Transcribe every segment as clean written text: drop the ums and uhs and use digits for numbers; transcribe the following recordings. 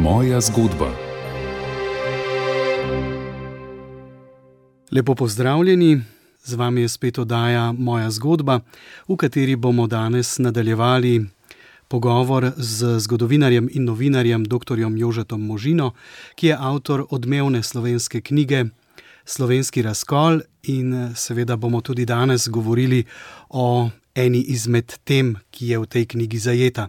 Moja zgodba. Lepo pozdravljeni, z vami je spet oddaja Moja zgodba, v kateri bomo danes nadaljevali pogovor z zgodovinarjem in novinarjem dr. Jožetom Možino, ki je avtor odmevne slovenske knjige Slovenski razkol, in seveda bomo tudi danes govorili o eni izmed tem, ki je v tej knjigi zajeta.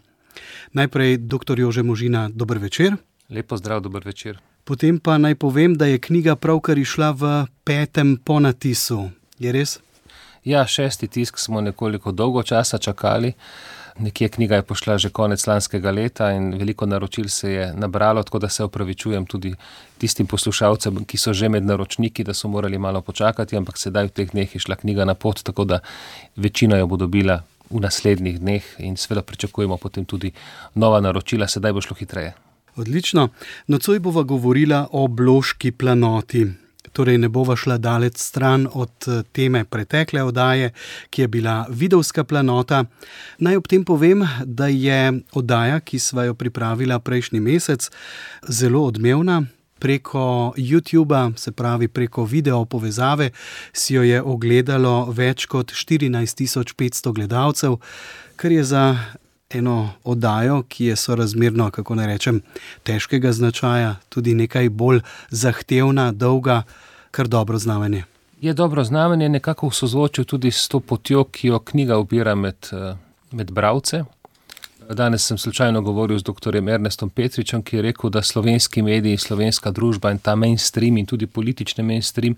Najprej, dr. Jože Možina, dober večer. Lep pozdrav, dober večer. Potem pa naj povem, da je knjiga pravkar išla v 5. ponatisu. Je res? Ja, 6. tisk smo nekoliko dolgo časa čakali. Nekje knjiga je pošla že konec lanskega leta in veliko naročil se je nabralo, tako da se opravičujem tudi tistim poslušalcem, ki so že med naročniki, da so morali malo počakati, ampak sedaj v teh dneh je šla knjiga na pot, tako da večina jo bo dobila v naslednjih dneh in seveda pričakujemo potem tudi nova naročila, sedaj bo šlo hitreje. Odlično. Nocoj bova govorila o Bloški planoti. Torej ne bova šla daleč stran od teme pretekle oddaje, ki je bila Vidovska planota. Naj ob tem povem, da je oddaja, ki sva jo pripravila prejšnji mesec, zelo odmevna. Preko YouTuba, se pravi preko video povezave, si jo je ogledalo več kot 14.500 gledalcev, kar je za eno oddajo, ki je sorazmerno, kako naj rečem, težkega značaja, tudi nekaj bolj zahtevna, dolga, kar dobro znamenje. Je dobro znamenje, nekako v sozvočju tudi s to potjo, ki jo knjiga ubira med bralce. Danes sem slučajno govoril z dr. Ernestom Petričem, ki je rekel, da slovenski mediji, slovenska družba in ta mainstream in tudi politični mainstream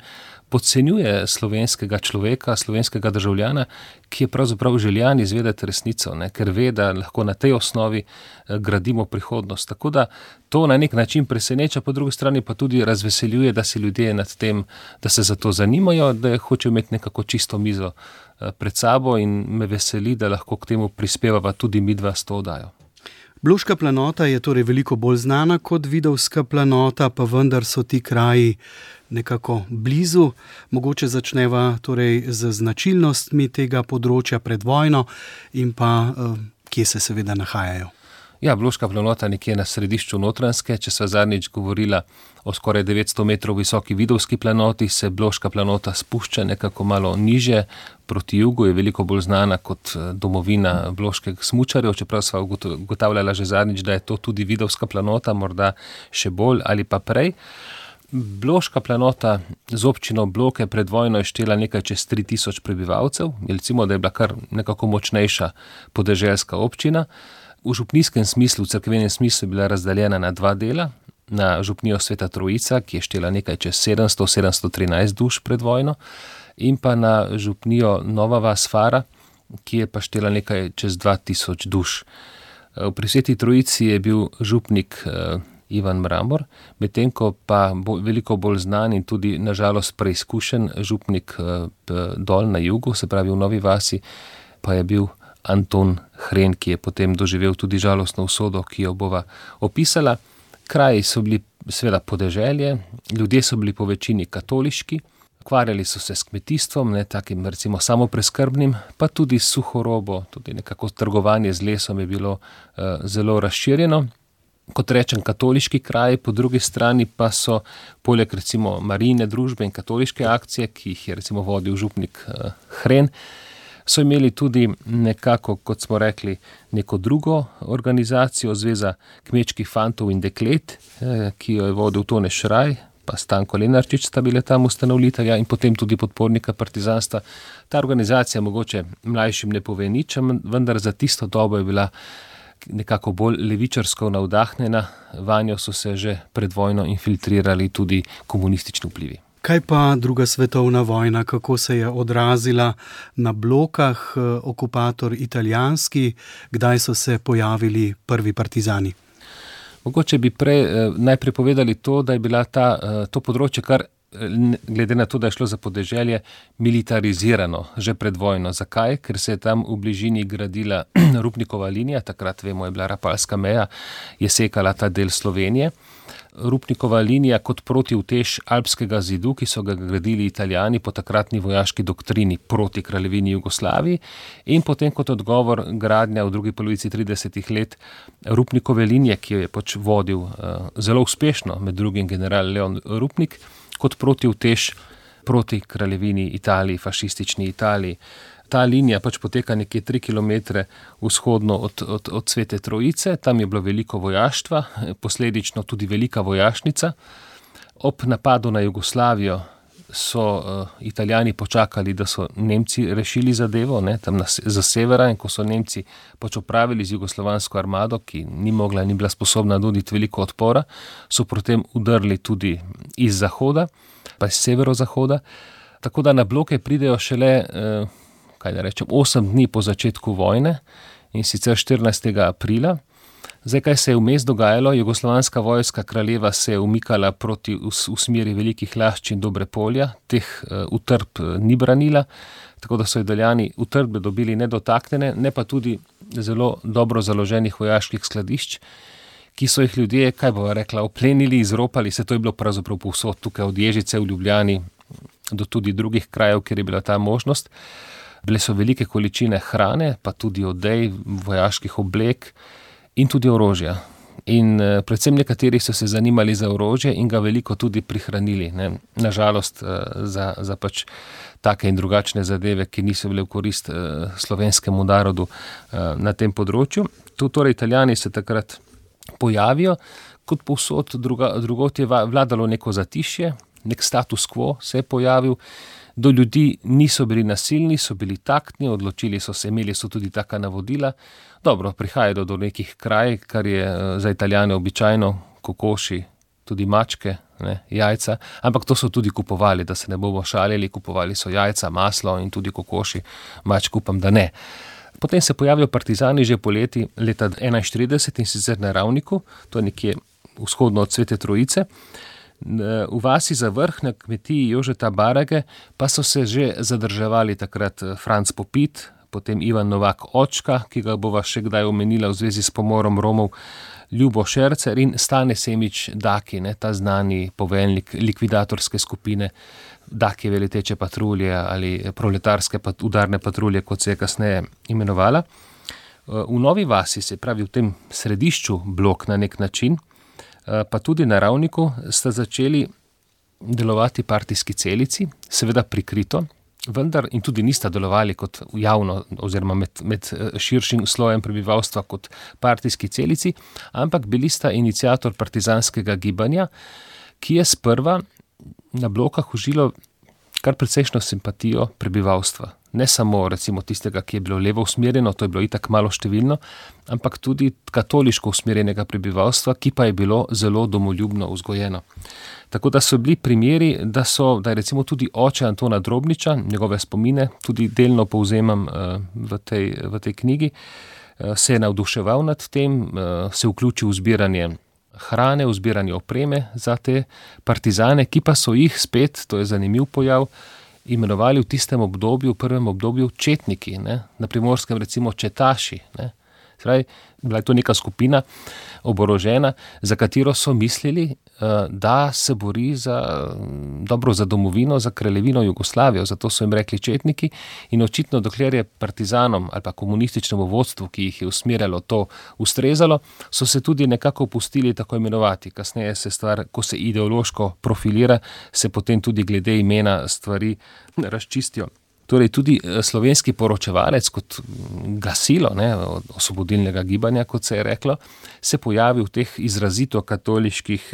podcenjuje slovenskega človeka, slovenskega državljana, ki je pravzaprav željan izvedeti resnico, ker ve, da lahko na tej osnovi gradimo prihodnost. Tako da to na nek način preseneča, po drugi strani pa tudi razveseljuje, da se ljudje nad tem, da se za to zanimajo, da hočejo imeti nekako čisto mizo pred sabo, in me veseli, da lahko k temu prispevava tudi midva s to oddajo. Bloška planota je torej veliko bolj znana kot Vidovska planota, pa vendar so ti kraji nekako blizu. Mogoče začneva torej z značilnostmi tega področja pred vojno in pa kje se seveda nahajajo. Ja, Bloška planota nekje na središču Notranjske. Če sva zadnjič govorila o skoraj 900 metrov visoki Vidovski planoti, se Bloška planota spušča nekako malo niže proti jugu, je veliko bolj znana kot domovina bloških smučarjev, čeprav sva ugotavljala že zadnjič, da je to tudi Vidovska planota, morda še bolj ali pa prej. Bloška planota z občino Bloke pred vojno je štela nekaj čez 3000 prebivalcev, recimo, da je bila kar nekako močnejša podeželska občina. V župnijskem smislu, v cerkvenem smislu je bila razdeljena na 2 dela, na župnijo Sveta Trojica, ki je štela nekaj čez 713 duš pred vojno, in pa na župnijo Nova vas Fara, ki je pa štela nekaj čez 2000 duš. Pri Sveti Trojici je bil župnik Ivan Mramor, medtem ko pa veliko bolj znan in tudi nažalost preizkušen župnik dol na jugu, se pravi v Novi vasi, pa je bil Anton Hren, ki je potem doživel tudi žalostno usodo, ki jo bova opisala. Kraji so bili seveda podeželje, ljudje so bili po večini katoliški, ukvarjali so se s kmetijstvom, takim recimo samopreskrbnim, pa tudi s suhorobo, tudi nekako trgovanje z lesom je bilo zelo razširjeno. Kot rečem, katoliški kraji, po drugi strani pa so poleg recimo marijine družbe in katoliške akcije, ki jih je recimo vodil župnik Hren, so imeli tudi nekako, kot smo rekli, neko drugo organizacijo, Zveza kmečkih fantov in deklet, ki jo je vodil Tone Šraj, pa Stanko Lenarčič sta bile tam ustanovitelja in potem tudi podpornika partizanstva. Ta organizacija mogoče mlajšim ne pove nič, vendar za tisto dobo je bila nekako bolj levičarsko navdahnjena, vanjo so se že pred vojno infiltrirali tudi komunistični vplivi. Kaj pa druga svetovna vojna, kako se je odrazila na Blokah, okupator italijanski, kdaj so se pojavili prvi partizani? Mogoče bi najprej povedali to, da je bila to področje kar, glede na to, da je šlo za podeželje, militarizirano že pred vojno. Zakaj? Ker se je tam v bližini gradila Rupnikova linija, takrat vemo je bila Rapalska meja, je sekala ta del Slovenije. Rupnikova linija kot protiutež alpskega zidu, ki so ga gradili Italijani po takratni vojaški doktrini proti kraljevini Jugoslaviji, in potem kot odgovor gradnja v drugi polovici 30 let Rupnikove linije, ki jo je pač vodil zelo uspešno, med drugim general Leon Rupnik, kot protiutež proti kraljevini Italiji, fašistični Italiji. Ta linija pač poteka nekje 3 km vzhodno od Svete Trojice, tam je bilo veliko vojaštva, posledično tudi velika vojašnica. Ob napadu na Jugoslavijo so Italijani počakali, da so Nemci rešili zadevo, tam za severa, in ko so Nemci pač opravili z jugoslovansko armado, ki ni bila sposobna nuditi veliko odpora, so potem udrli tudi iz zahoda, pa iz severozahoda, tako da na bloke pridejo šele 8 dni po začetku vojne, in sicer 14. aprila. Zdaj, kaj se je vmes dogajalo? Jugoslovanska vojska kraljeva se je umikala proti v smeri Velikih Lašč in Dobrepolja, teh utrdb ni branila, tako da so Italijani utrdbe dobili nedotaknjene, ne pa tudi zelo dobro založenih vojaških skladišč, ki so jih ljudje, oplenili, izropali, se to je bilo pravzaprav povsod, tukaj od Ježice v Ljubljani do tudi drugih krajev, kjer je bila ta možnost. Bile so velike količine hrane, pa tudi odej, vojaških oblek in tudi orožja. In predvsem nekateri so se zanimali za orožje in ga veliko tudi prihranili. Nažalost za pač take in drugačne zadeve, ki niso bile v korist slovenskemu narodu na tem področju. Torej Italijani se takrat pojavijo, kot povsod drugot je vladalo neko zatišje, nek status quo se je pojavil. Do ljudi niso bili nasilni, so bili taktni, odločili so se, imeli so tudi taka navodila. Dobro, prihajajo do nekih kraj, kar je za Italijane običajno, kokoši, tudi mačke, jajca, ampak to so tudi kupovali, da se ne bomo šalili, kupovali so jajca, maslo in tudi kokoši, mačk upam, da ne. Potem se pojavijo partizani že poleti leta 1941 in sicer na Ravniku, to je nekje vzhodno od Svete Trojice. V vasi za vrh na kmetiji Jožeta Barage pa so se že zadrževali takrat Franc Popit, potem Ivan Novak Očka, ki ga bova še kdaj omenila v zvezi s pomorom Romov, Ljubo Šercer in Stane Semič Daki, ta znani poveljnik likvidatorske skupine Dakijeve leteče patrulje ali proletarske udarne patrulje, kot se je kasneje imenovala. V Novi vasi, se pravi v tem središču blok na nek način, pa tudi na Ravniku sta začeli delovati partijski celici, seveda prikrito, vendar in tudi nista delovali kot javno oziroma med širšim slojem prebivalstva kot partijski celici, ampak bili sta iniciator partizanskega gibanja, ki je sprva na blokah užilo kar precejšno simpatijo prebivalstva. Ne samo recimo tistega, ki je bilo levo usmerjeno, to je bilo itak malo številno, ampak tudi katoliško usmerjenega prebivalstva, ki pa je bilo zelo domoljubno vzgojeno. Tako da so bili primeri, da je recimo tudi oče Antona Drobniča, njegove spomine, tudi delno povzemam v tej knjigi, se je navduševal nad tem, se vključil v zbiranje hrane, v zbiranje opreme za te partizane, ki pa so jih spet, to je zanimiv pojav, imenovali v tistem obdobju, v prvem obdobju četniki, na Primorskem recimo četaši. Zdaj, bila je to neka skupina oborožena, za katero so mislili, da se bori za domovino, za kraljevino Jugoslavijo, zato so jim rekli četniki, in očitno dokler je partizanom ali pa komunističnemu vodstvu, ki jih je usmerjalo, to ustrezalo, so se tudi nekako pustili tako imenovati. Kasneje se stvar, ko se ideološko profilira, se potem tudi glede imena stvari razčistijo. Torej tudi slovenski poročevalec kot glasilo osvobodilnega gibanja, kot se je reklo, se pojavi v teh izrazito katoliških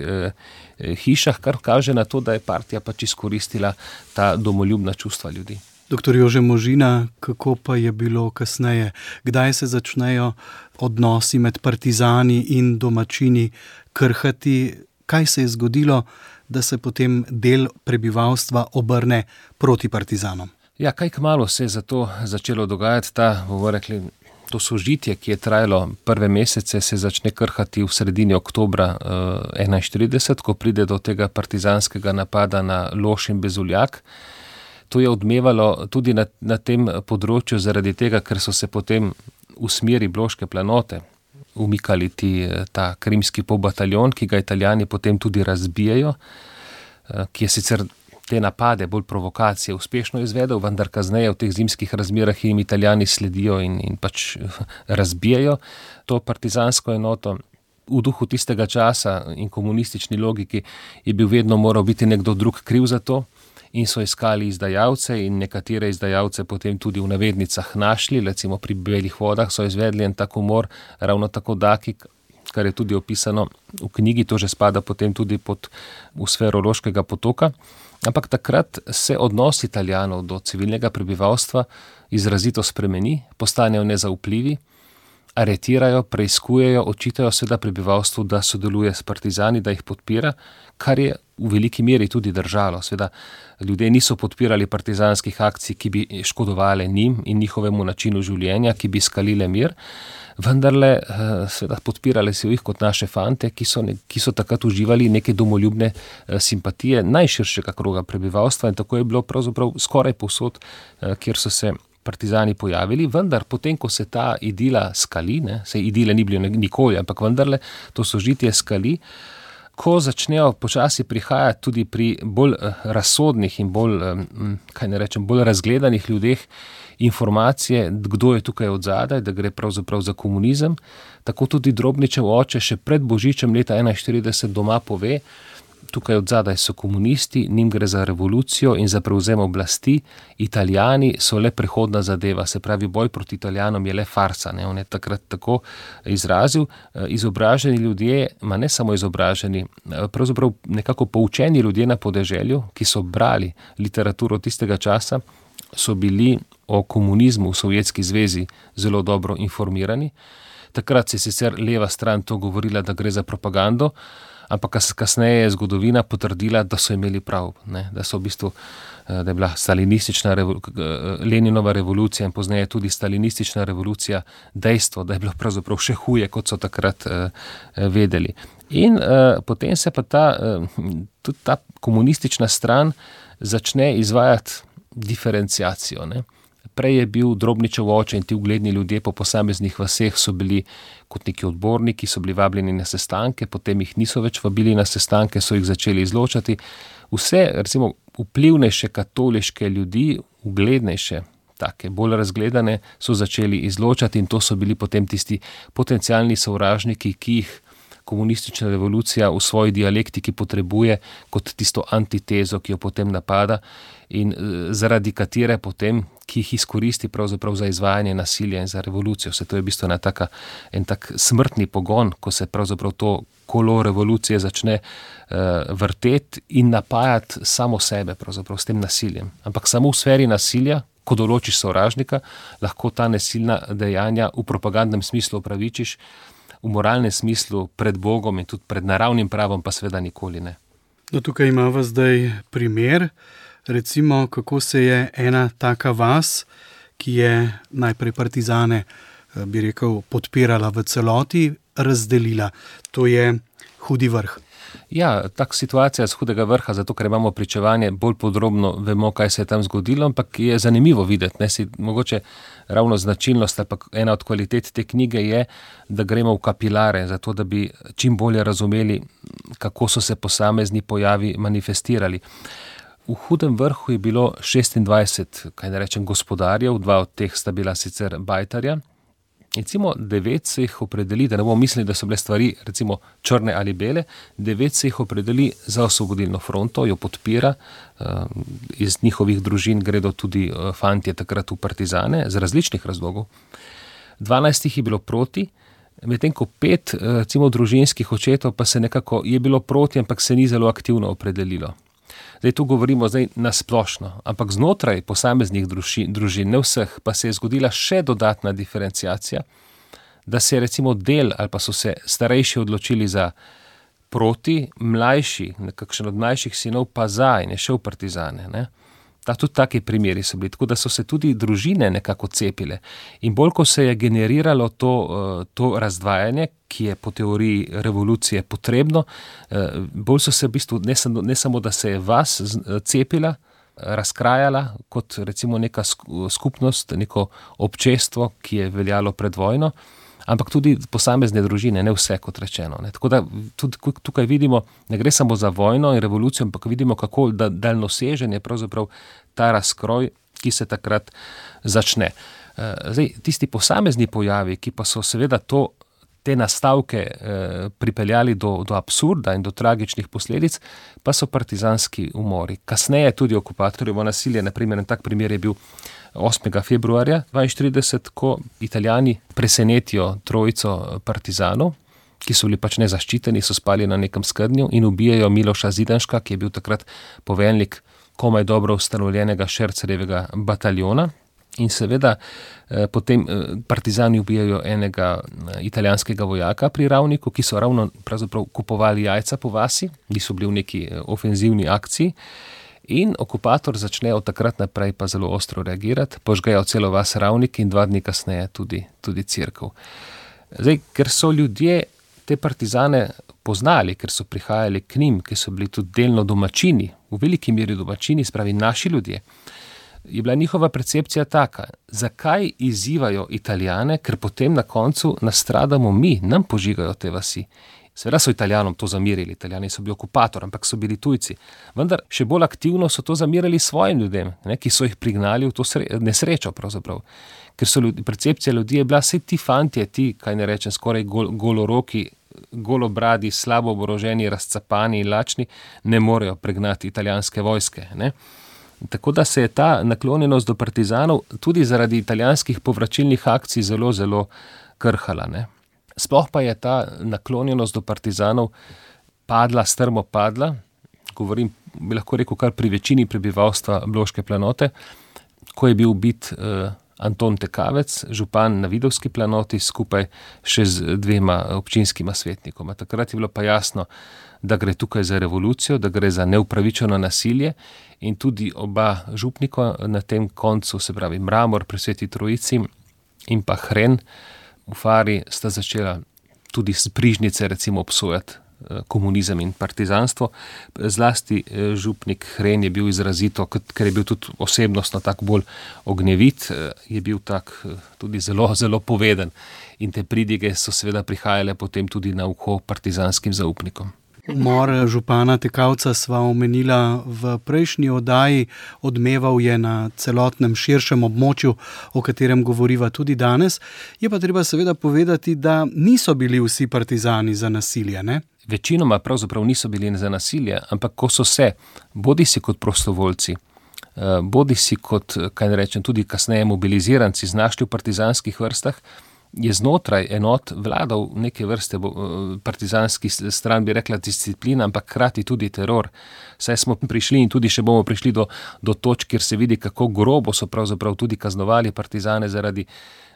hišah, kar kaže na to, da je partija pač izkoristila ta domoljubna čustva ljudi. Doktor Jože Možina, kako pa je bilo kasneje? Kdaj se začnejo odnosi med partizani in domačini krhati? Kaj se je zgodilo, da se potem del prebivalstva obrne proti partizanom? Ja, kaj kmalu se je zato začelo dogajati to sožitje, ki je trajalo prve mesece, se začne krhati v sredini oktobra 1941, ko pride do tega partizanskega napada na Loš in Bezuljak. To je odmevalo tudi na tem področju zaradi tega, ker so se potem v smeri Bloške planote umikali ta krimski polbataljon, ki ga Italijani potem tudi razbijajo, ki je sicer te napade, bolj provokacije, uspešno izvedel, vendar kasneje v teh zimskih razmerah jim Italijani sledijo in pač razbijajo to partizansko enoto. V duhu tistega časa in komunistični logiki je bil vedno moral biti nekdo drug kriv za to in so iskali izdajalce in nekatere izdajalce potem tudi v navednicah našli, recimo pri Belih vodah so izvedli en tak umor, ravno tako Daki, kar je tudi opisano v knjigi, to že spada potem tudi v sfero Loškega potoka. Ampak takrat se odnos Italijanov do civilnega prebivalstva izrazito spremeni, postanejo nezaupljivi, aretirajo, preiskujejo, očitajo seveda prebivalstvu, da sodeluje s partizani, da jih podpira, kar je v veliki meri tudi držalo. Seveda ljudje niso podpirali partizanskih akcij, ki bi škodovali njim in njihovemu načinu življenja, ki bi skalile mir, vendarle seveda podpirali so jih kot naše fante, ki so takrat uživali neke domoljubne simpatije najširšega kroga prebivalstva in tako je bilo pravzaprav skoraj povsod, kjer so se partizani pojavili, vendar potem, ko se ta idila skali, se idile ni bilo nikoli, ampak vendarle to sožitje skali, ko začnejo počasi prihajati tudi pri bolj razsodnih in bolj razgledanih ljudeh informacije, kdo je tukaj odzadaj, da gre pravzaprav za komunizem, tako tudi Drobničev oče še pred Božičem leta 1941 doma pove, tukaj odzadaj so komunisti, njim gre za revolucijo in za prevzem oblasti, Italijani so le prehodna zadeva, se pravi boj proti Italijanom je le farsa, on je takrat tako izrazil, izobraženi ljudje, ne samo izobraženi, pravzaprav nekako poučeni ljudje na podeželju, ki so brali literaturo tistega časa, so bili o komunizmu v Sovjetski zvezi zelo dobro informirani. Takrat se je sicer leva stran to govorila, da gre za propagando, ampak kasneje je zgodovina potrdila, da so imeli prav, da so v bistvu, da je bila stalinistična Leninova revolucija in pozneje tudi stalinistična revolucija dejstvo, da je bilo pravzaprav še huje, kot so takrat vedeli. In potem se pa tudi ta komunistična stran začne izvajati diferenciacijo, Prej je bil Drobničev oče in ti ugledni ljudje po posameznih vaseh so bili kot neki odborniki, so bili vabljeni na sestanke, potem jih niso več vabili na sestanke, so jih začeli izločati. Vse, recimo, vplivnejše katoliške ljudi, uglednejše, take, bolj razgledane, so začeli izločati in to so bili potem tisti potencialni sovražniki, ki jih komunistična revolucija v svoji dialektiki potrebuje kot tisto antitezo, ki jo potem napada in zaradi katere potem, ki jih izkoristi pravzaprav za izvajanje nasilja in za revolucijo. Vse to je v bistvu en tak smrtni pogon, ko se pravzaprav to kolo revolucije začne vrteti in napajati samo sebe pravzaprav s tem nasiljem. Ampak samo v sferi nasilja, ko določiš sovražnika, lahko ta nasilna dejanja v propagandnem smislu opravičiš, v moralnem smislu pred Bogom in tudi pred naravnim pravom pa seveda nikoli ne. No, tukaj imamo zdaj primer, recimo, kako se je ena taka vas, ki je najprej partizane, bi rekel, podpirala v celoti, razdelila. To je Hudi vrh. Ja, tak situacija z Hudega vrha, zato ker imamo pričevanje, bolj podrobno vemo, kaj se je tam zgodilo, ampak je zanimivo videti. Mogoče ravno značilnost ali pa ena od kvalitet te knjige je, da gremo v kapilare, zato da bi čim bolje razumeli, kako so se posamezni pojavi manifestirali. V Hudem vrhu je bilo 26, gospodarjev, 2 od teh sta bila sicer bajtarja. Recimo 9 se jih opredeli, da ne bomo mislili, da so bile stvari recimo črne ali bele, 9 se jih opredeli za Osvobodilno fronto, jo podpira, iz njihovih družin gredo tudi fantje takrat v partizane, z različnih razlogov. 12 jih je bilo proti, medtem ko 5 recimo družinskih očetov pa se nekako je bilo proti, ampak se ni zelo aktivno opredelilo. Zdaj tu govorimo na splošno, ampak znotraj posameznih družin, ne vseh, pa se je zgodila še dodatna diferenciacija, da se je recimo del ali pa so se starejši odločili za proti, mlajši, nekakšen od mlajših sinov pa za in je šel v partizane. Tudi taki primeri so bili, tako da so se tudi družine nekako cepile. In bolj, ko se je generiralo to razdvajanje, ki je po teoriji revolucije potrebno, bolj so se v bistvu, ne samo, da se je vas cepila, razkrajala kot recimo neka skupnost, neko občestvo, ki je veljalo pred vojno, ampak tudi posamezne družine, ne vse, kot rečeno. Ne. Tako da tudi tukaj vidimo, ne gre samo za vojno in revolucijo, ampak vidimo, kako daljnosežen je pravzaprav ta razkroj, ki se takrat začne. Zdaj, tisti posamezni pojavi, ki pa so seveda te nastavke pripeljali do absurda in do tragičnih posledic, pa so partizanski umori. Kasneje tudi okupatorjevo nasilje, naprimer, tak primer je bil 8. februarja 1942, ko Italijani presenetijo trojico partizanov, ki so bili pač nezaščiteni, so spali na nekem skednju in ubijajo Miloša Zidanška, ki je bil takrat poveljnik komaj dobro ustanovljenega Šercerjevega bataljona. In seveda potem partizani ubijajo enega italijanskega vojaka pri Ravniku, ki so ravno pravzaprav kupovali jajca po vasi, niso bili v neki ofenzivni akciji. In okupator začne od takrat naprej pa zelo ostro reagirati, požgejo celo vas Ravnik in 2 dni kasneje tudi cerkev. Zdaj, ker so ljudje te partizane poznali, ker so prihajali k njim, ker so bili tudi delno domačini, v veliki meri domačini, spravi naši ljudje, je bila njihova percepcija taka, zakaj izzivajo Italijane, ker potem na koncu nastradamo mi, nam požigajo te vasi. Seveda so Italijanom to zamirili, Italijani so bili okupator, ampak so bili tujci. Vendar še bolj aktivno so to zamirali svojim ljudem, ki so jih prignali v to nesrečo pravzaprav. Ker so percepcija ljudi je bila, saj ti fantje, kaj ne rečem, skoraj goloroki, golobradi, slabo oboroženi, razcapani in lačni, ne morejo pregnati italijanske vojske, ne. Tako da se je ta naklonjenost do partizanov tudi zaradi italijanskih povračilnih akcij zelo, zelo krhala, ne. Sploh pa je ta naklonjenost do partizanov strmo padla, govorim, bi lahko rekel, kar pri večini prebivalstva Bloške planote, ko je bil ubit Anton Tekavec, župan na Vidovski planoti, skupaj še z 2 občinskima svetnikoma. Takrat je bilo pa jasno, da gre tukaj za revolucijo, da gre za neupravičeno nasilje in tudi oba župnika na tem koncu, se pravi Mramor pri Sveti Trojici in pa Hren v Fari, sta začela tudi z Brižnice recimo obsojati komunizem in partizanstvo. Zlasti župnik Hren je bil izrazito, ker je bil tudi osebnostno tako bolj ognjevit, je bil tak tudi zelo, zelo poveden. In te pridige so seveda prihajale potem tudi na uho partizanskim zaupnikom. Umor župana Tekavca sva omenila v prejšnji oddaji, odmeval je na celotnem širšem območju, o katerem govoriva tudi danes. Je pa treba seveda povedati, da niso bili vsi partizani za nasilje, ne? Večinoma pravzaprav niso bili za nasilje, ampak ko so se, bodisi kot prostovoljci, bodisi kot, kaj ne rečem, tudi kasneje mobiliziranci znašli v partizanskih vrstah, je znotraj enot vladal neke vrste partizanski stran, bi rekla disciplina, ampak hkrati tudi teror. Saj smo prišli in tudi še bomo prišli do točk, kjer se vidi, kako grobo so pravzaprav tudi kaznovali partizane zaradi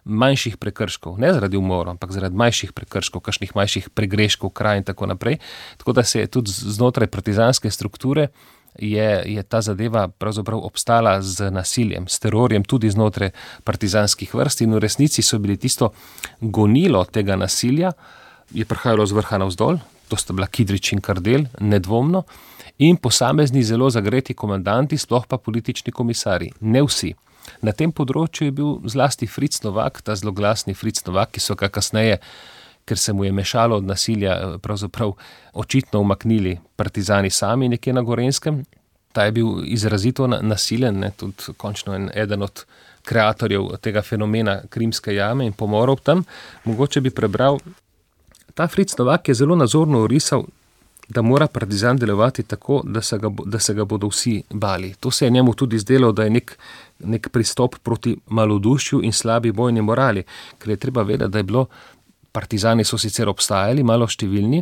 manjših prekrškov, ne zaradi umorov, ampak zaradi manjših prekrškov, kakšnih manjših pregreškov, kraj in tako naprej. Tako da se je tudi znotraj partizanske strukture je ta zadeva pravzaprav obstala z nasiljem, s terorjem tudi znotraj partizanskih vrst in v resnici so bili tisto gonilo tega nasilja, je prihajalo z vrha navzdol, to sta bila Kidrič in Kardelj, nedvomno, in posamezni zelo zagreti komandanti, sploh pa politični komisarji, ne vsi. Na tem področju je bil zlasti Fritz Novak, ta zloglasni Fritz Novak, ki so ga kasneje, ker se mu je mešalo od nasilja, pravzaprav očitno umaknili partizani sami nekje na Gorenjskem. Ta je bil izrazito nasilen, ne, tudi končno eden od kreatorjev tega fenomena Krimske jame in pomorov tam. Mogoče bi prebral, ta Fritz Novak je zelo nazorno orisal, da mora partizan delovati tako, da se ga bodo vsi bali. To se je njemu tudi zdelo, da je nek pristop proti malodušju in slabi bojni morali, ker je treba vedeti, da je bilo, partizani so sicer obstajali, malo številni,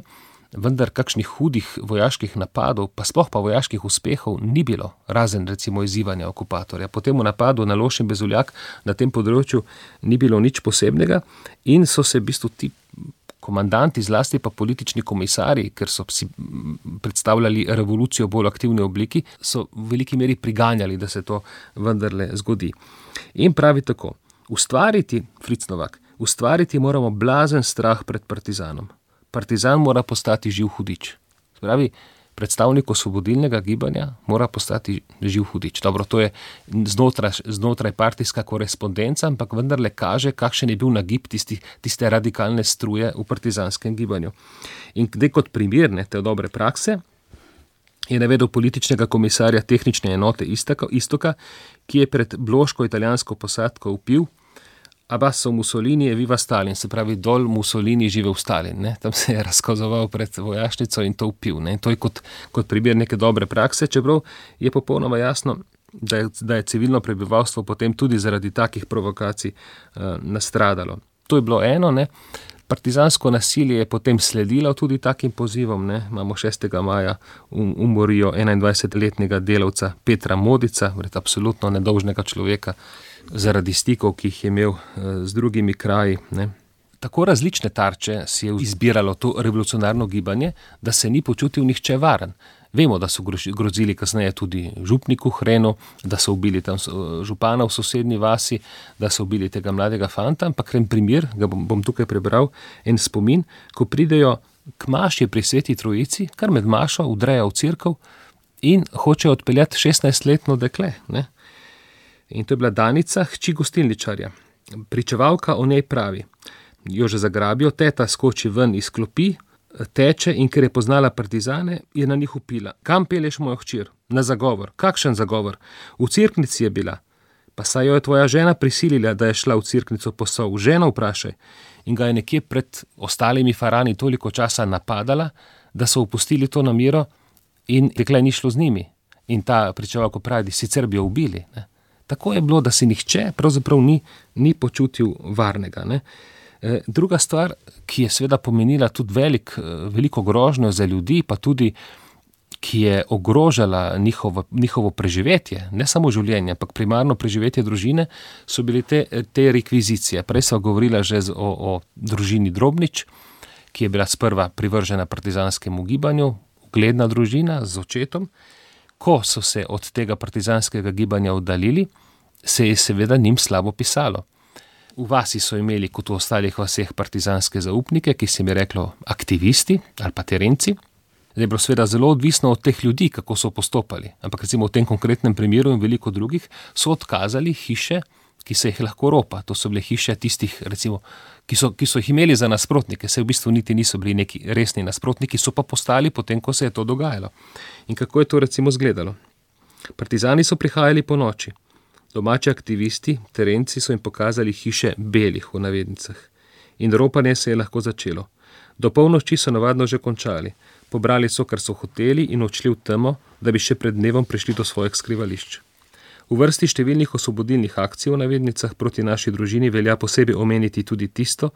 vendar kakšnih hudih vojaških napadov, pa sploh pa vojaških uspehov ni bilo, razen recimo izzivanja okupatorja. Potem v napadu na Loš in Bezuljak na tem področju ni bilo nič posebnega in so se v bistvu ti komandanti, zlasti pa politični komisarji, ker so si predstavljali revolucijo v bolj aktivni obliki, so v veliki meri priganjali, da se to vendarle zgodi. In pravi tako, Fritz Novak, ustvariti moramo blazen strah pred partizanom. Partizan mora postati živ hudič. Pravi, predstavnik osvobodilnega gibanja mora postati živ hudič. Dobro, to je znotraj partijska korespondenca, ampak vendarle kaže, kakšen je bil nagib tiste radikalne struje v partizanskem gibanju. In zdaj kot primer te dobre prakse je navedel političnega komisarja tehnične enote Istoka, ki je pred bloško italijansko posadko vpil: Abbasso Mussolini je viva Stalin, se pravi dol Mussolini živel Stalin. Ne? Tam se je razkazoval pred vojašnico in to vpil. Ne? To je kot primer neke dobre prakse, čeprav je popolnoma jasno, da je civilno prebivalstvo potem tudi zaradi takih provokacij nastradalo. To je bilo eno, ne? Partizansko nasilje je potem sledilo tudi takim pozivom. Ne? Imamo 6. maja umorijo 21-letnega delavca Petra Modica, absolutno nedolžnega človeka, zaradi stikov, ki jih je imel z drugimi kraji. Ne. Tako različne tarče si je izbiralo to revolucionarno gibanje, da se ni počutil nihče varen. Vemo, da so grozili kasneje tudi župniku Hrenu, da so ubili tam župana v sosednji vasi, da so ubili tega mladega fanta, ampak en primer, ga bom tukaj prebral, en spomin, ko pridejo k maši pri Sveti Trojici, kar med mašo vdrejo v cerkev in hočejo odpeljati 16-letno dekle, ne. In to je bila Danica, hči gostilničarja. Pričevalka o njej pravi: jo že zagrabijo, teta skoči ven iz klopi, teče in ker je poznala partizane, je na njih vpila: kam pelješ mojo hčer? Na zagovor. Kakšen zagovor? V cerknici je bila. Pa saj jo je tvoja žena prisilila, da je šla v cerknico po sol. Ženo vprašaj. In ga je nekje pred ostalimi farani toliko časa napadala, da so opustili to namero in dekle ni šlo z njimi. In ta pričevalka pravi: sicer bi jo ubili, ne. Tako je bilo, da si nihče pravzaprav ni počutil varnega. Ne. Druga stvar, ki je seveda pomenila tudi veliko grožnjo za ljudi, pa tudi, ki je ogrožala njihovo preživetje, ne samo življenje, ampak primarno preživetje družine, so bile te rekvizicije. Prej sva govorila že o družini Drobnič, ki je bila sprva privržena partizanskemu gibanju, ugledna družina z očetom. Ko so se od tega partizanskega gibanja oddaljili, se je seveda njim slabo pisalo. V vasi so imeli, kot v ostalih vaseh, partizanske zaupnike, ki se jim je reklo aktivisti ali pa terenci. Zdaj je bilo seveda zelo odvisno od teh ljudi, kako so postopali. Ampak recimo v tem konkretnem primeru in veliko drugih so odkazali hiše, ki se jih lahko ropa. To so bile hiše tistih, recimo, ki so jih imeli za nasprotnike. Se v bistvu niti niso bili neki resni nasprotniki, so pa postali potem, ko se je to dogajalo. In kako je to recimo izgledalo? Partizani so prihajali po noči. Domači aktivisti, terenci so jim pokazali hiše belih v navednicah. In ropanje se je lahko začelo. Do polnoči so navadno že končali. Pobrali so, kar so hoteli in odšli v temo, da bi še pred dnevom prišli do svojih skrivališč. V vrsti številnih osvobodilnih akcij v navednicah proti naši družini velja posebej omeniti tudi tisto,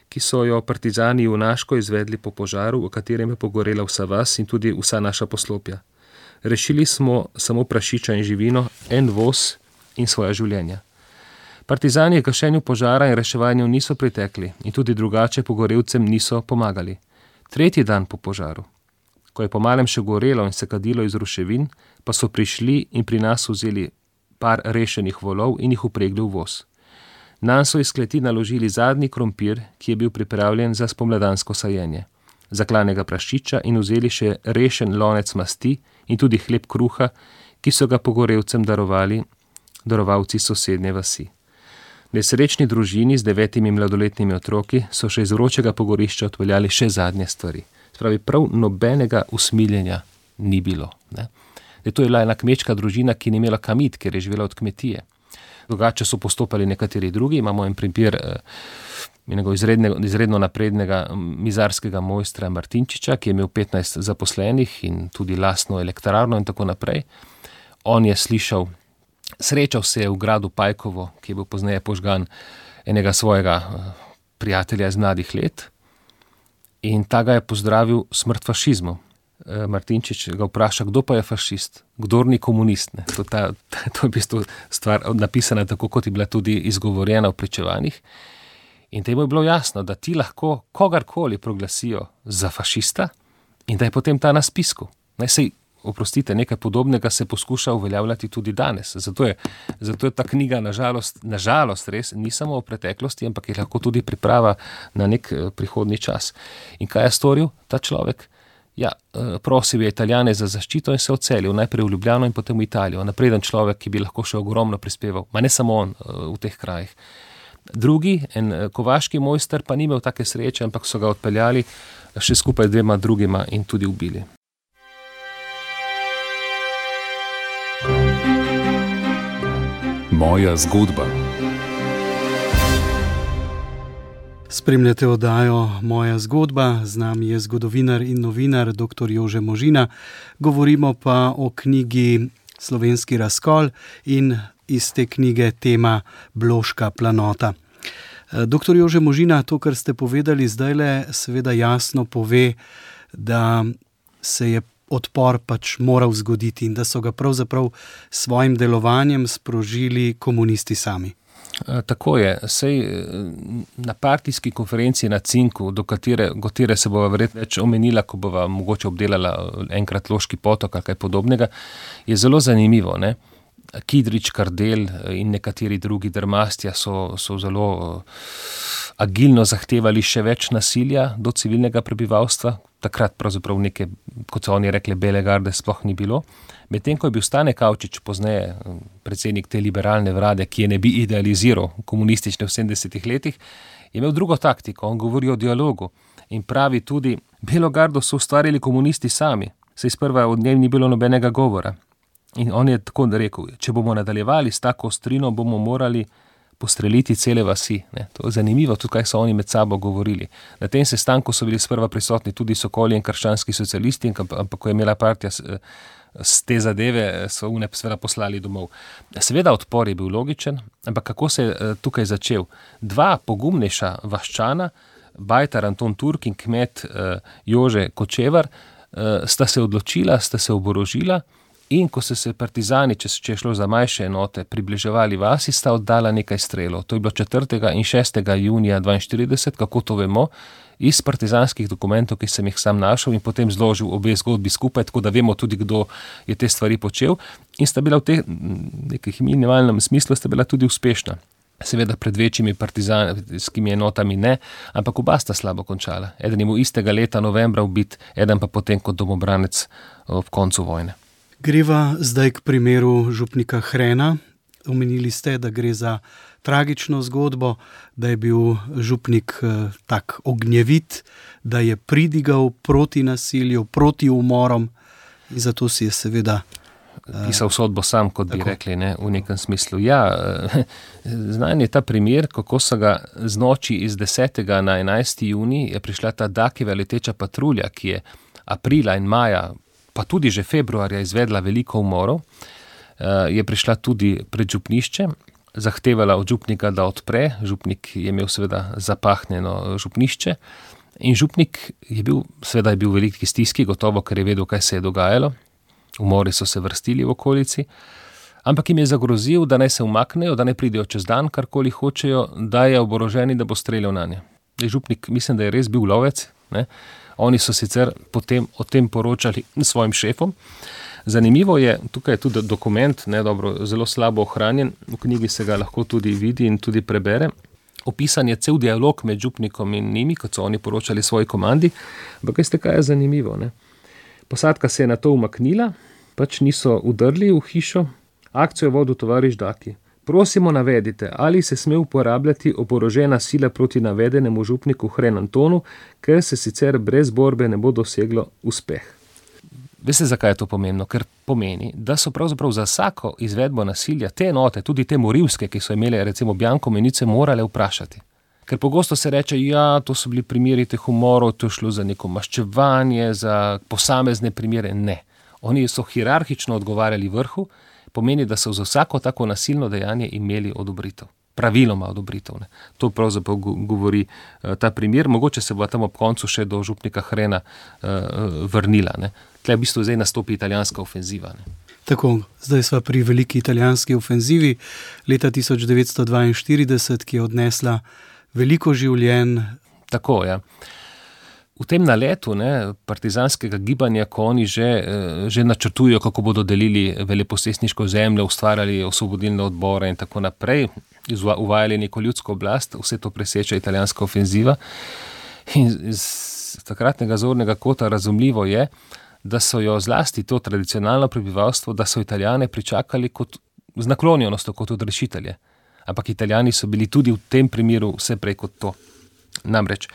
ki so jo partizani junaško izvedli po požaru, v katerem je pogorela vsa vas in tudi vsa naša poslopja. Rešili smo samo prašiča in živino, en voz in svoja življenja. Partizani gašenju požara in reševanju niso pritekli in tudi drugače pogorelcem niso pomagali. 3. dan po požaru, ko je po malem še gorelo in se kadilo iz ruševin, pa so prišli in pri nas vzeli par rešenih volov in jih upregli v voz. Nanj so iz kleti naložili zadnji krompir, ki je bil pripravljen za spomladansko sajenje, zaklanega prašiča in vzeli še rešen lonec masti in tudi hleb kruha, ki so ga pogorelcem darovalci sosednje vasi. Nesrečni družini z 9 mladoletnimi otroki so še iz vročega pogorišča odpeljali še zadnje stvari. Spravi, prav nobenega usmiljenja ni bilo. Ne? To je bila ena kmečka družina, ki ni imela kam iti, ker je živela od kmetije. Drugače so postopali nekateri drugi. Imamo en primer izredno naprednega mizarskega mojstra Martinčiča, ki je imel 15 zaposlenih in tudi lastno elektrarno in tako naprej. On je srečal se je v gradu Pajkovo, ki je bil pozneje požgan, enega svojega prijatelja iz mladih let, in ta ga je pozdravil smrt fašizmu. Martinčič ga vpraša, kdo pa je fašist, kdor ni komunist. Ne? To je v bistvu stvar napisana tako, kot je bila tudi izgovorjena v pričevanjih. In temu je bilo jasno, da ti lahko kogarkoli proglasijo za fašista in da je potem ta na spisku. Oprostite, nekaj podobnega se poskuša uveljavljati tudi danes. Zato je ta knjiga nažalost res ni samo o preteklosti, ampak je lahko tudi priprava na nek prihodni čas. In kaj je storil ta človek? Ja, prosil je Italijane za zaščito in se odselil, najprej v Ljubljano in potem v Italijo. Napreden človek, ki bi lahko še ogromno prispeval, ma ne samo on v teh krajih. Drugi, en kovaški mojster, pa ni imel take sreče, ampak so ga odpeljali še skupaj 2 drugima in tudi ubili. Moja zgodba. Spremljate oddajo Moja zgodba, z nami je zgodovinar in novinar dr. Jože Možina. Govorimo pa o knjigi Slovenski razkol in iz te knjige tema Bloška planota. Dr. Jože Možina, to, kar ste povedali zdajle, seveda jasno pove, da se je odpor pač moral zgoditi in da so ga pravzaprav s svojim delovanjem sprožili komunisti sami. Tako je. Sej na partijski konferenci na Cinku, do katere se bova verjetno več omenila, ko bova mogoče obdelala enkrat Loški potok ali kaj podobnega, je zelo zanimivo, ne? Kidrič, Kardelj in nekateri drugi drmastja so zelo agilno zahtevali še več nasilja do civilnega prebivalstva. Takrat pravzaprav neke, kot so oni rekli, bele garde sploh ni bilo. Medtem ko je bil Stane Kavčič, pozneje predsednik te liberalne vlade, ki je ne bi idealiziral komunistične v 70 letih, je imel drugo taktiko. On govori o dialogu in pravi tudi, belo gardo so ustvarili komunisti sami, saj sprva od njej ni bilo nobenega govora. In on je tako rekel, če bomo nadaljevali s tako ostrino, bomo morali postreliti cele vasi. Ne? To je zanimivo, tudi kaj so oni med sabo govorili. Na tem sestanku so bili sprva prisotni tudi Sokoli in krščanski socialisti, ampak ko je imela partija z te zadeve, so une seveda poslali domov. Seveda odpor je bil logičen, ampak kako se je tukaj začel? 2 pogumnejša vaščana, bajtar Anton Turk in kmet Jože Kočevar, sta se odločila, sta se oborožila. In ko so se partizani, če je šlo za manjše enote, približevali vasi, sta oddala nekaj strelov. To je bilo 4. in 6. junija 1942, kako to vemo, iz partizanskih dokumentov, ki sem jih sam našel in potem zložil obe zgodbi skupaj, tako da vemo tudi, kdo je te stvari počel. In sta bila v tem nekih minimalnem smislu sta bila tudi uspešna. Seveda pred večjimi partizanskimi enotami ne, ampak oba sta slabo končala. Eden je bil istega leta novembra ubit, eden pa potem kot domobranec ob koncu vojne. Greva zdaj k primeru župnika Hrena. Omenili ste, da gre za tragično zgodbo, da je bil župnik tak ognjevit, da je pridigal proti nasilju, proti umorom in zato si je seveda pisal sodbo sam, kot bi rekli, ne, v nekem smislu. Ja, znan je ta primer, kako so ga z noči iz 10. na 11. junij je prišla ta Dakijeva leteča patrulja, ki je aprila in maja pa tudi že februarja izvedla veliko umorov, je prišla tudi pred župnišče, zahtevala od župnika, da odpre. Župnik je imel seveda zapahnjeno župnišče in župnik je bil v veliki stiski, gotovo, ker je vedel, kaj se je dogajalo. Umori so se vrstili v okolici, ampak jim je zagrozil, da naj se umaknejo, da naj pridejo čez dan, karkoli hočejo, da je oborožen, da bo streljal nanje. Župnik, mislim, da je res bil lovec, ne? Oni so sicer potem o tem poročali svojim šefom. Zanimivo je, tukaj je tudi dokument, zelo slabo ohranjen, v knjigi se ga lahko tudi vidi in tudi prebere. Opisan je cel dialog med župnikom in njimi, kot so oni poročali svoji komandi, ampak veste, kaj je zanimivo, ne? Posadka se je na to umaknila, pač niso udrli v hišo, akcijo je vodil tovariš Daki. Prosimo navedite, ali se sme uporabljati oborožena sila proti navedenemu župniku Hren Antonu, ker se sicer brez borbe ne bo doseglo uspeh. Veste, zakaj je to pomembno? Ker pomeni, da so pravzaprav za vsako izvedbo nasilja te enote, tudi te morilske, ki so imele recimo bianko menice, morale vprašati. Ker pogosto se reče, ja, to so bili primeri teh umorov, to je šlo za neko maščevanje, za posamezne primere. Ne. Oni so hierarhično odgovarjali vrhu, pomeni, da so za vsako tako nasilno dejanje imeli odobritev. Praviloma odobritev. Ne. To pravzaprav govori ta primer. Mogoče se bo tam ob koncu še do župnika Hrena vrnila. Ne. Tle v bistvu zdaj nastopi italijanska ofenziva. Ne. Tako, zdaj sva pri veliki italijanski ofenzivi leta 1942, ki je odnesla veliko življenj. Tako, ja. V tem naletu partizanskega gibanja, ko oni že načrtujejo, kako bodo delili veleposestniško zemljo, ustvarjali osvobodilne odbore in tako naprej, uvajali neko ljudsko oblast, vse to preseča italijanska ofenziva. In takratnega zornega kota razumljivo je, da so jo zlasti to tradicionalno prebivalstvo, da so Italijane pričakali kot z naklonjenostjo kot odrešitelje. Ampak Italijani so bili tudi v tem primeru vse prej kot to. Namreč,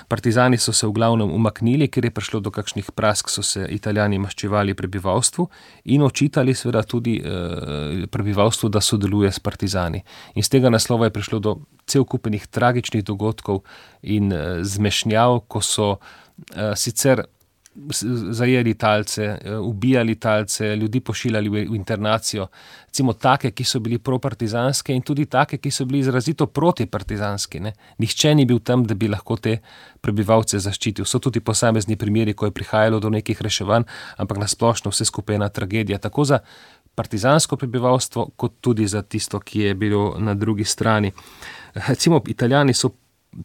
partizani so se v glavnem umaknili, ker je prišlo do kakšnih prask, so se Italijani maščevali prebivalstvu in očitali seveda tudi prebivalstvu, da sodeluje s partizani. In z tega naslova je prišlo do celkupenih tragičnih dogodkov in zmešnjav, ko so sicer zajeli talce, ubijali talce, ljudi pošiljali v internacijo, recimo take, ki so bili propartizanske in tudi take, ki so bili izrazito protipartizanski. Nihče ni bil tam, da bi lahko te prebivalce zaščitil. So tudi posamezni primeri, ko je prihajalo do nekih reševanj, ampak nasplošno vse skupaj ena tragedija, tako za partizansko prebivalstvo, kot tudi za tisto, ki je bilo na drugi strani. Recimo, Italijani so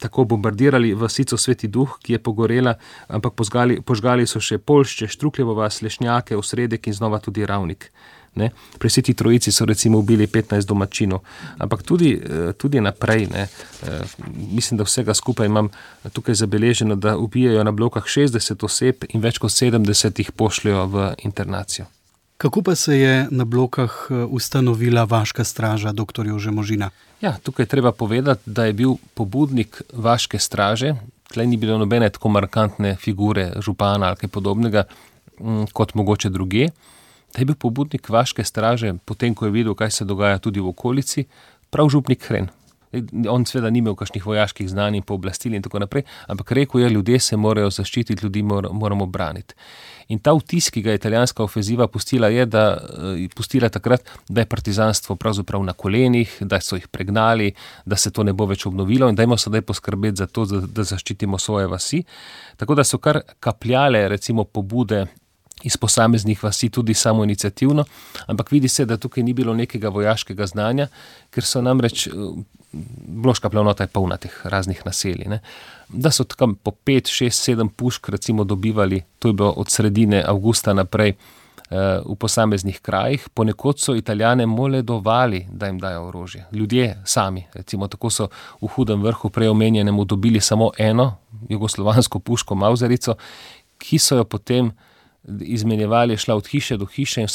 tako bombardirali vasico Sveti Duh, ki je pogorela, ampak požgali so še Poljšče, Štrukljevo vas, Lešnjake, Osredek in znova tudi Ravnik. Pri Sveti Trojici so recimo ubili 15 domačinov, ampak tudi naprej. Mislim, da vsega skupaj imam tukaj zabeleženo, da ubijajo na blokah 60 oseb in več kot 70 jih pošljajo v internacijo. Kako pa se je na blokah ustanovila vaška straža, dr. Jože Možina? Ja, tukaj treba povedati, da je bil pobudnik vaške straže, tlej ni bilo nobene tako markantne figure župana ali kaj podobnega, kot mogoče druge, da je bil pobudnik vaške straže, potem ko je videl, kaj se dogaja tudi v okolici, prav župnik Hren. On seveda ni imel kakšnih vojaških znanj in pooblastil in tako naprej, ampak rekel je, ljudje se morajo zaščititi, ljudi moramo braniti. In ta vtis, ki ga je italijanska ofenziva pustila, je takrat, da je partizanstvo pravzaprav na kolenih, da so jih pregnali, da se to ne bo več obnovilo in dajmo sedaj poskrbeti za to, da zaščitimo svoje vasi. Tako da so kar kapljale recimo pobude iz posameznih vasi tudi samoiniciativno, ampak vidi se, da tukaj ni bilo nekega vojaškega znanja, ker so namreč Bloška planota je polna teh raznih naselij. Da so tam po 5, 6, 7 pušk recimo dobivali, to je bilo od sredine avgusta naprej v posameznih krajih, ponekod so Italijane moledovali, da jim dajo orožje. Ljudje sami, recimo tako so v Hudem Vrhu preomenjenemu dobili samo eno jugoslovansko puško Mauserico, ki so jo potem izmenjevali, šla od hiše do hiše in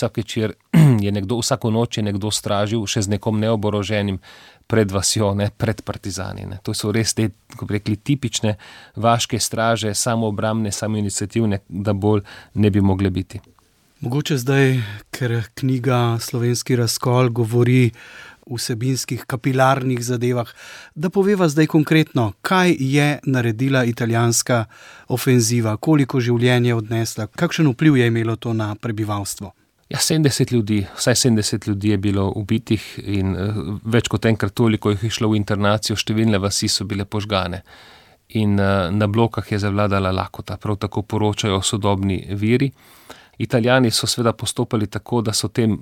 vsako noč je nekdo stražil še z nekom neoboroženim pred vasjo, pred partizani. To so res te, ko bi rekli, tipične vaške straže, samoobrambne, samoiniciativne, da bolj ne bi mogle biti. Mogoče zdaj, ker knjiga Slovenski razkol govori o vsebinskih kapilarnih zadevah, da poveva zdaj konkretno, kaj je naredila italijanska ofenziva, koliko življenj je odnesla, kakšen vpliv je imelo to na prebivalstvo. Ja, 70 ljudi, vsaj 70 ljudi je bilo ubitih in več kot enkrat toliko jih je šlo v internacijo, številne vasi so bile požgane. In na blokah je zavladala lakota, prav tako poročajo sodobni viri. Italijani so seveda postopali tako, da so tem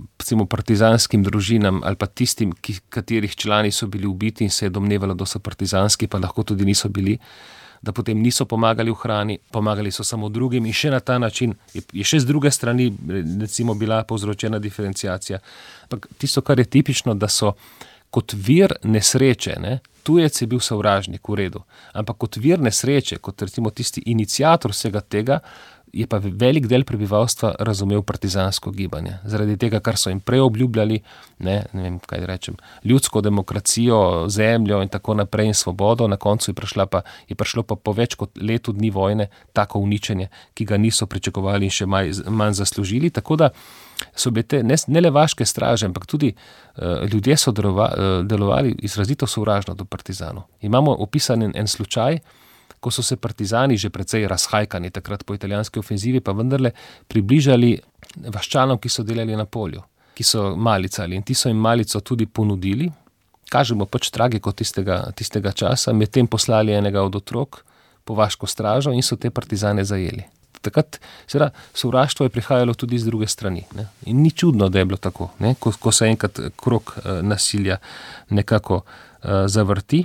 partizanskim družinam ali pa tistim, katerih člani so bili ubiti in se je domnevalo, da so partizanski, pa lahko tudi niso bili, da potem niso pomagali v hrani, pomagali so samo drugim in še na ta način je še z druge strani recimo bila povzročena diferenciacija. Ampak tisto, kar je tipično, da so kot vir nesreče, tujec je bil sovražnik, v redu, ampak kot vir nesreče, kot recimo tisti iniciator vsega tega, je pa velik del prebivalstva razumel partizansko gibanje. Zaradi tega, kar so jim prej obljubljali, ne vem, kaj rečem, ljudsko demokracijo, zemljo in tako naprej in svobodo, na koncu je prišlo pa po več kot letu dni vojne tako uničenje, ki ga niso pričakovali in še manj zaslužili. Tako da so bile te ne le vaške straže, ampak tudi ljudje so delovali izrazito sovražno do partizanov. Imamo opisan en slučaj, ko so se partizani že precej razhajkani takrat po italijanski ofenzivi, pa vendarle približali vaščanom, ki so delali na polju, ki so malicali in ti so jim malico tudi ponudili. Kažemo pač tragiko tistega časa, medtem poslali enega od otrok po vaško stražo in so te partizane zajeli. Takrat seveda sovraštvo je prihajalo tudi z druge strani. In ni čudno, da je bilo tako, ko se enkrat krog nasilja nekako zavrti.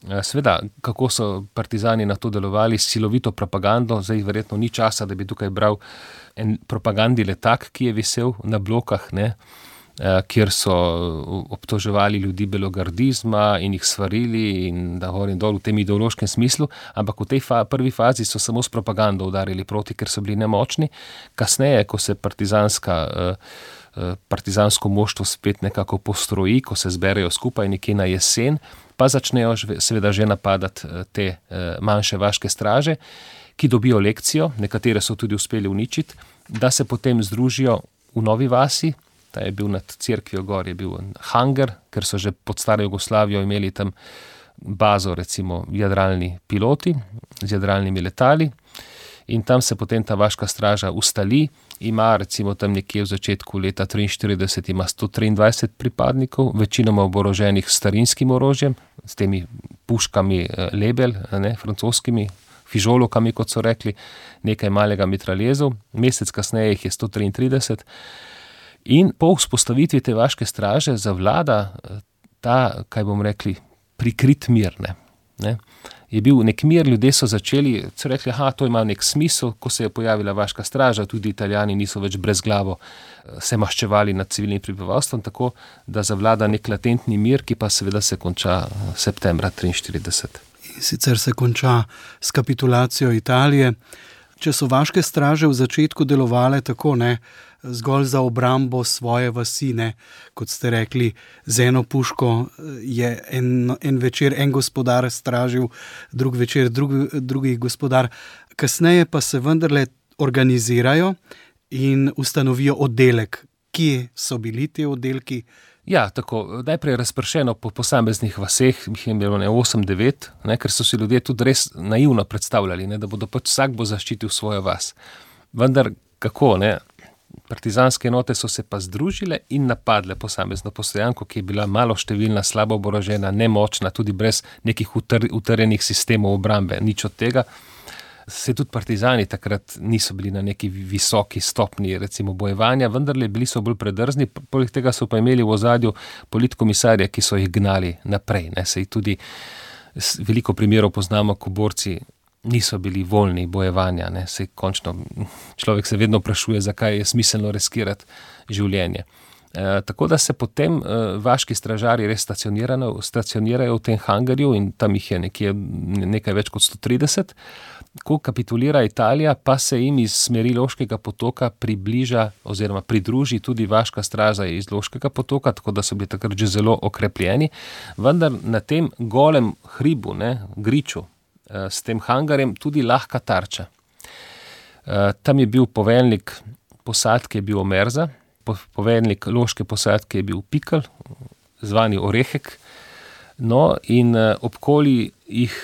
Sveda, kako so partizani na to delovali s silovito propagando, zdaj verjetno ni časa, da bi tukaj bral en propagandi letak, ki je visel na blokah, kjer so obtoževali ljudi belogardizma in jih svarili in da gor in dol v tem ideološkem smislu, ampak v tej prvi fazi so samo s propagando udarili proti, ker so bili nemočni. Kasneje, ko se partizansko moštvo spet nekako postroji, ko se zberejo skupaj nekje na jesen, pa začnejo seveda že napadati te manjše vaške straže, ki dobijo lekcijo, nekatere so tudi uspeli uničiti, da se potem združijo v Novi vasi. Ta je bil nad cerkvijo gor, je bil hangar, ker so že pod staro Jugoslavijo imeli tam bazo, recimo jadralni piloti z jadralnimi letali, in tam se potem ta vaška straža ustali, ima recimo tam nekje v začetku leta 1943 ima 123 pripadnikov, večinoma oboroženih s starinskim orožjem, s temi puškami Lebel, francoskimi, fižolovkami, kot so rekli, nekaj malega mitraljezov, mesec kasneje jih je 133. In po vzpostavitvi te vaške straže zavlada ta, kaj bomo rekli, prikrit mir. Ne? Je bil nek mir, ljudje so začeli, so rekli, to ima nek smisel, ko se je pojavila vaška straža, tudi Italijani niso več brezglavo se maščevali nad civilnim prebivalstvom, tako da zavlada nek latentni mir, ki pa seveda se konča septembra 1943. In sicer se konča s kapitulacijo Italije. Če so vaške straže v začetku delovale tako, zgolj za obrambo svoje vasi, kot ste rekli, z eno puško je en večer en gospodar stražil, drug večer drugi gospodar. Kasneje pa se vendarle organizirajo in ustanovijo oddelek. Kje so bili ti oddelki? Ja, tako, najprej razpršeno po posameznih vaseh, jih je bilo 8-9, ker so si ljudje tudi res naivno predstavljali, da bodo vsak bo zaščitil svojo vas. Vendar kako, partizanske enote so se pa združile in napadle posamezno postojanko, ki je bila maloštevilna, slabo oborožena, nemočna, tudi brez nekih utrjenih sistemov obrambe, nič od tega. Se tudi partizani takrat niso bili na neki visoki stopni, recimo, bojevanja, vendarle bili so bolj predrzni, poleg tega so pa imeli v ozadju politkomisarje, ki so jih gnali naprej. Se jih tudi veliko primerov poznamo, ko borci niso bili voljni bojevanja. Se končno človek se vedno vprašuje, zakaj je smiselno riskirati življenje. Tako da se potem vaški stražarji res stacionirajo v tem hangarju in tam jih je nekaj več kot 130. Ko kapitulira Italija, pa se jim iz smeri Loškega potoka približa oziroma pridruži tudi vaška straža iz Loškega potoka, tako da so bili takrat že zelo okrepljeni. Vendar na tem golem hribu, griču, s tem hangarjem tudi lahka tarča. Tam je bil poveljnik posadke, je bil Omerza, poveljnik Loške posadke je bil Pikl, zvani Orehek, in obkoli jih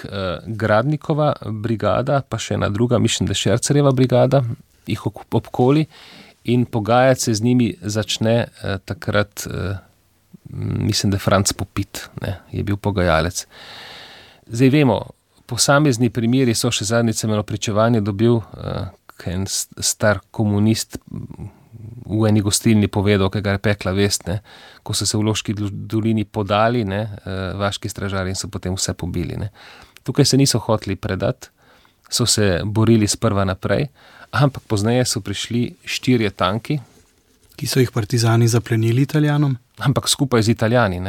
Gradnikova brigada, pa še ena druga, mislim, da Šercerjeva brigada, jih obkoli in pogajati se z njimi začne takrat, mislim, da Franc Popit, je bil pogajalec. Zdaj vemo, posamezni primeri so, še zadnjič sem eno pričevanje dobil, en star komunist v eni gostilni povedal, ki ga je pekla vest, ko so se v Loški dolini podali, vaški stražarji in so potem vse pobili. Tukaj se niso hoteli predati, so se borili sprva naprej, ampak pozneje so prišli 4 tanki. Ki so jih partizani zaplenili Italijanom? Ampak skupaj z Italijani.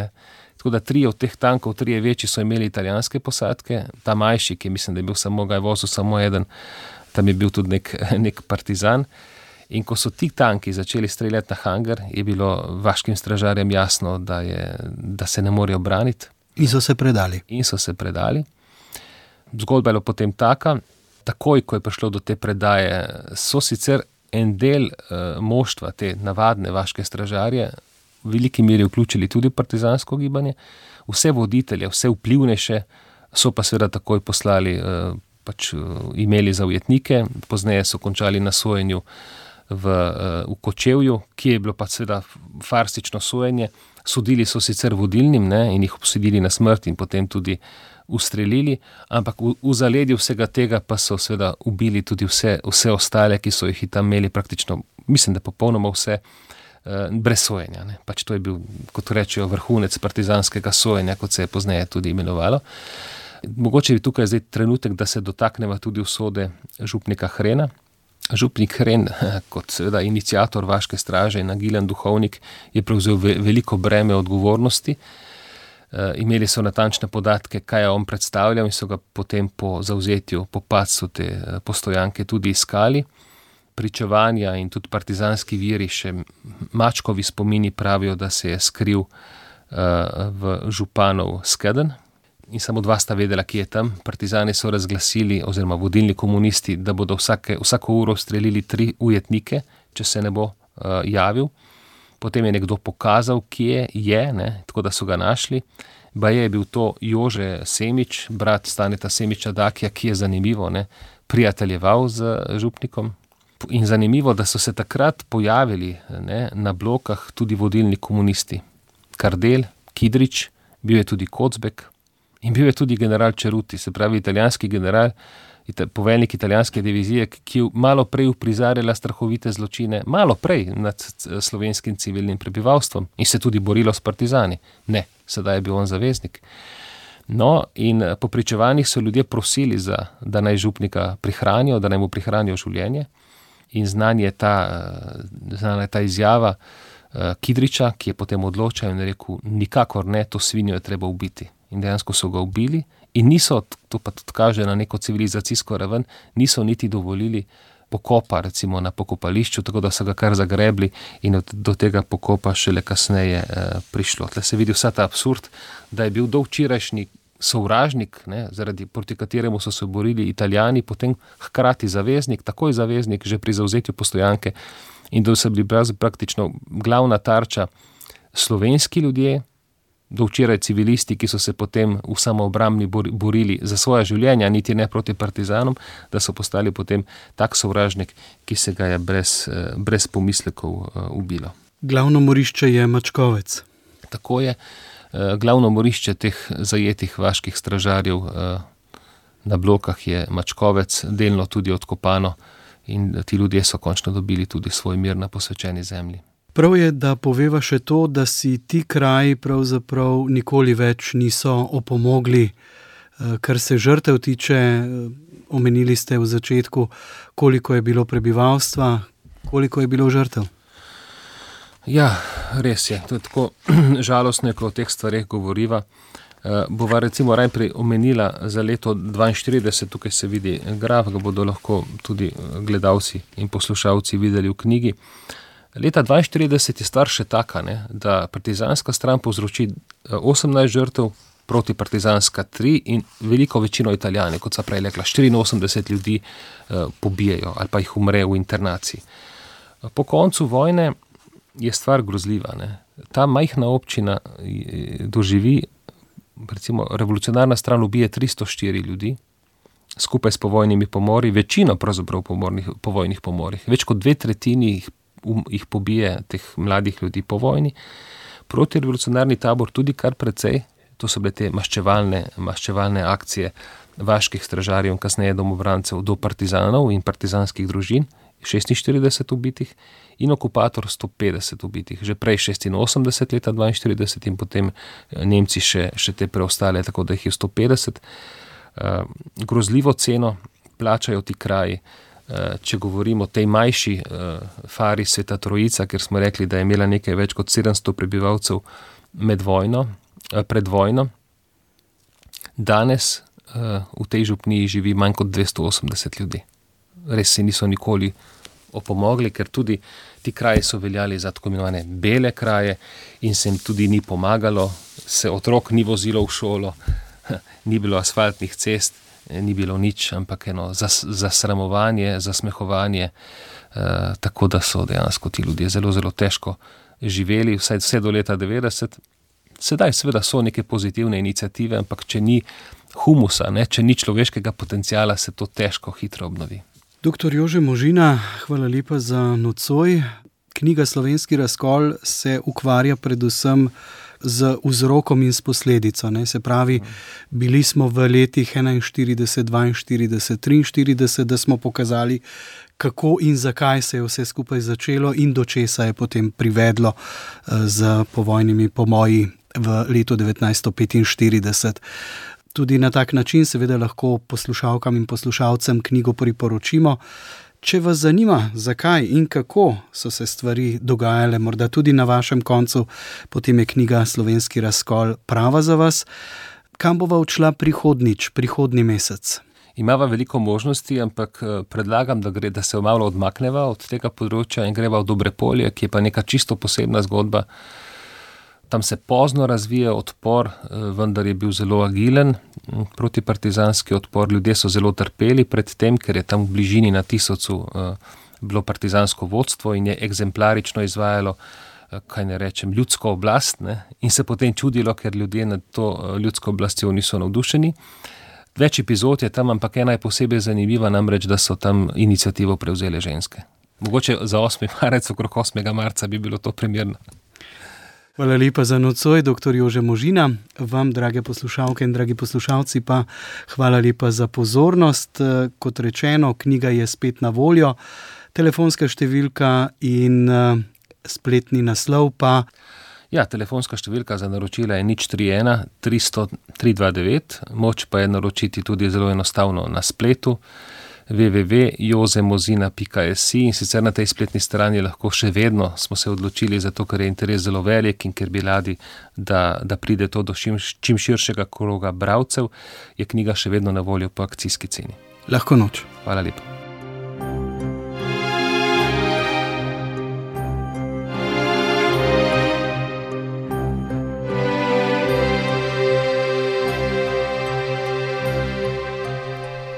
Tako da 3 od teh tankov, 3 večji so imeli italijanske posadke, ta manjši, ki mislim, da je bil ga je vozil samo eden, tam je bil tudi nek partizan. In ko so ti tanki začeli streljati na hangar, je bilo vaškim stražarjem jasno, da se ne morejo braniti. In so se predali. Zgodba je potem taka, takoj, ko je prišlo do te predaje, so sicer en del moštva, te navadne vaške stražarje, v veliki meri vključili tudi partizansko gibanje, vse voditelje, vse vplivnejše so pa seveda takoj poslali, imeli za ujetnike, pozneje so končali na sojenju v Kočevju, ki je bilo pa seveda farsično sojenje. Sodili so sicer vodilnim in jih obsodili na smrt in potem tudi ustrelili, ampak v zaledju vsega tega pa so seveda ubili tudi vse ostale, ki so jih tam imeli praktično, mislim, da popolnoma vse, brez sojenja. To je bil, kot rečejo, vrhunec partizanskega sojenja, kot se je pozneje tudi imenovalo. Mogoče je tukaj zdaj trenutek, da se dotakneva tudi usode župnika Hrena. Župnik Hren, kot seveda iniciator vaške straže in agilen duhovnik, je prevzel veliko breme odgovornosti. Imeli so natančne podatke, kaj je on predstavljal, in so ga potem po zavzetju, po padcu te postojanke tudi iskali. Pričevanja in tudi partizanski viri, še Mačkovi spomini pravijo, da se je skril v županov skedenj. In samo 2 sta vedela, kje je tam. Partizani so razglasili, oziroma vodilni komunisti, da bodo vsako uro strelili 3 ujetnike, če se ne bo javil. Potem je nekdo pokazal, kje je, tako da so ga našli. Baje je bil to Jože Semič, brat Staneta Semiča Dakija, ki je zanimivo prijateljeval z župnikom. In zanimivo, da so se takrat pojavili na blokah tudi vodilni komunisti. Kardel, Kidrič, bil je tudi Kocbek in bil je tudi general Čeruti, se pravi italijanski general, poveljnik italijanske divizije, ki je malo prej uprizarjala strahovite zločine, malo prej nad slovenskim civilnim prebivalstvom in se tudi borilo s partizani. Ne, sedaj je bil on zaveznik. No, in po pričevanjih so ljudje prosili, da naj župnika prihranijo, da naj mu prihranijo življenje. In znana je ta izjava Kidriča, ki je potem odločil in rekel, nikakor ne, to svinjo je treba ubiti. In dejansko so ga ubili in niso, to pa tudi kaže na neko civilizacijsko raven, niso niti dovolili pokopa, recimo na pokopališču, tako da so ga kar zagrebli in do tega pokopa šele kasneje prišlo. Tle se vidi vsa ta absurd, da je bil do včerajšnji sovražnik, proti kateremu so se borili Italijani, potem hkrati zaveznik, takoj zaveznik, že pri zavzetju postojanke, in da so bili praktično glavna tarča slovenski ljudje, do včeraj civilisti, ki so se potem v samoobrambni borili za svoja življenja, niti ne proti partizanom, da so postali potem tak sovražnik, ki se ga je brez pomislekov ubilo. Glavno morišče je Mačkovec. Tako je. Glavno morišče teh zajetih vaških stražarjev na blokah je Mačkovec, delno tudi odkopano, in ti ljudje so končno dobili tudi svoj mir na posvečeni zemlji. Prav je, da poveva še to, da si ti kraji pravzaprav nikoli več niso opomogli, kar se žrtev tiče. Omenili ste v začetku, koliko je bilo prebivalstva, koliko je bilo žrtev. Ja, res je. To je tako žalostno, ko o teh stvareh govoriva. Bova recimo najprej omenila za leto 1942, tukaj se vidi graf, ga bodo lahko tudi gledalci in poslušalci videli v knjigi. Leta 1942 je stvar še taka, da partizanska stran povzroči 18 žrtev, protipartizanska 3 in veliko večino Italijani, kot so prej rekla, 84 ljudi pobijejo ali pa jih umre v internaciji. Po koncu vojne je stvar grozljiva. Ta majhna občina doživi, recimo revolucionarna stran ubije 304 ljudi, skupaj s povojnimi pomori, večino pravzaprav povojnih pomorih, več kot 2/3 jih pobije teh mladih ljudi po vojni. Protirevolucionarni tabor tudi kar precej, to so bile te maščevalne akcije vaških stražarjev in kasneje domobrancev do partizanov in partizanskih družin, 46 ubitih, in okupator 150 ubitih, že prej 86 leta 1942 in potem Nemci še te preostale, tako da jih je 150. Grozljivo ceno plačajo ti kraji. Če govorimo o tej manjši fari Sveta Trojica, ker smo rekli, da je imela nekaj več kot 700 prebivalcev pred vojno, danes v tej župniji živi manj kot 280 ljudi. Res se niso nikoli opomogli, ker tudi ti kraji so veljali za tako imenovane bele kraje in se jim tudi ni pomagalo, se otrok ni vozilo v šolo, ni bilo asfaltnih cest, ni bilo nič, ampak zasramovanje, zasmehovanje, tako da so dejansko ti ljudje zelo, zelo težko živeli, vse do leta 90. Sedaj seveda so neke pozitivne iniciative, ampak če ni humusa, če ni človeškega potencijala, se to težko hitro obnovi. Doktor Jože Možina, hvala lepa za nocoj. Knjiga Slovenski razkol se ukvarja predvsem z vzrokom in s posledico. Se pravi, bili smo v letih 41, 42, 43, da smo pokazali, kako in zakaj se je vse skupaj začelo in do česa je potem privedlo z povojnimi pomoji v letu 1945. Tudi na tak način seveda lahko poslušalkam in poslušalcem knjigo priporočimo. Če vas zanima, zakaj in kako so se stvari dogajale, morda tudi na vašem koncu, potem je knjiga Slovenski razkol prava za vas. Kam bova odšla prihodnji mesec? Imava veliko možnosti, ampak predlagam, da se malo odmakneva od tega področja in greva v Dobrepolje, ki je pa neka čisto posebna zgodba. Tam se pozno razvija odpor, vendar je bil zelo agilen protipartizanski odpor. Ljudje so zelo trpeli pred tem, ker je tam v bližini na Tisovcu bilo partizansko vodstvo in je eksemplarično izvajalo, ljudsko oblast, ne? In se potem čudilo, ker ljudje nad to ljudsko oblastjo niso navdušeni. Več epizod je tam, ampak ena je posebej zanimiva, namreč, da so tam iniciativo prevzele ženske. Mogoče za 8. marec, okrog 8. marca bi bilo to primerno. Hvala lepa za nocoj, dr. Jože Možina. Vam, drage poslušalke in dragi poslušalci, pa hvala lepa za pozornost. Kot rečeno, knjiga je spet na voljo, telefonska številka in spletni naslov pa... Ja, telefonska številka za naročila je 031 300 329, moč pa je naročiti tudi zelo enostavno na spletu www.jozemozina.si in sicer na tej spletni strani lahko še vedno smo se odločili, zato ker je interes zelo velik in ker bi radi, da pride to do čim širšega kroga bralcev, je knjiga še vedno na voljo po akcijski ceni. Lahko noč. Hvala lepa.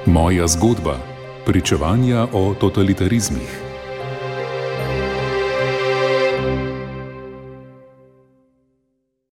Moja zgodba. Pričevanja o totalitarizmih.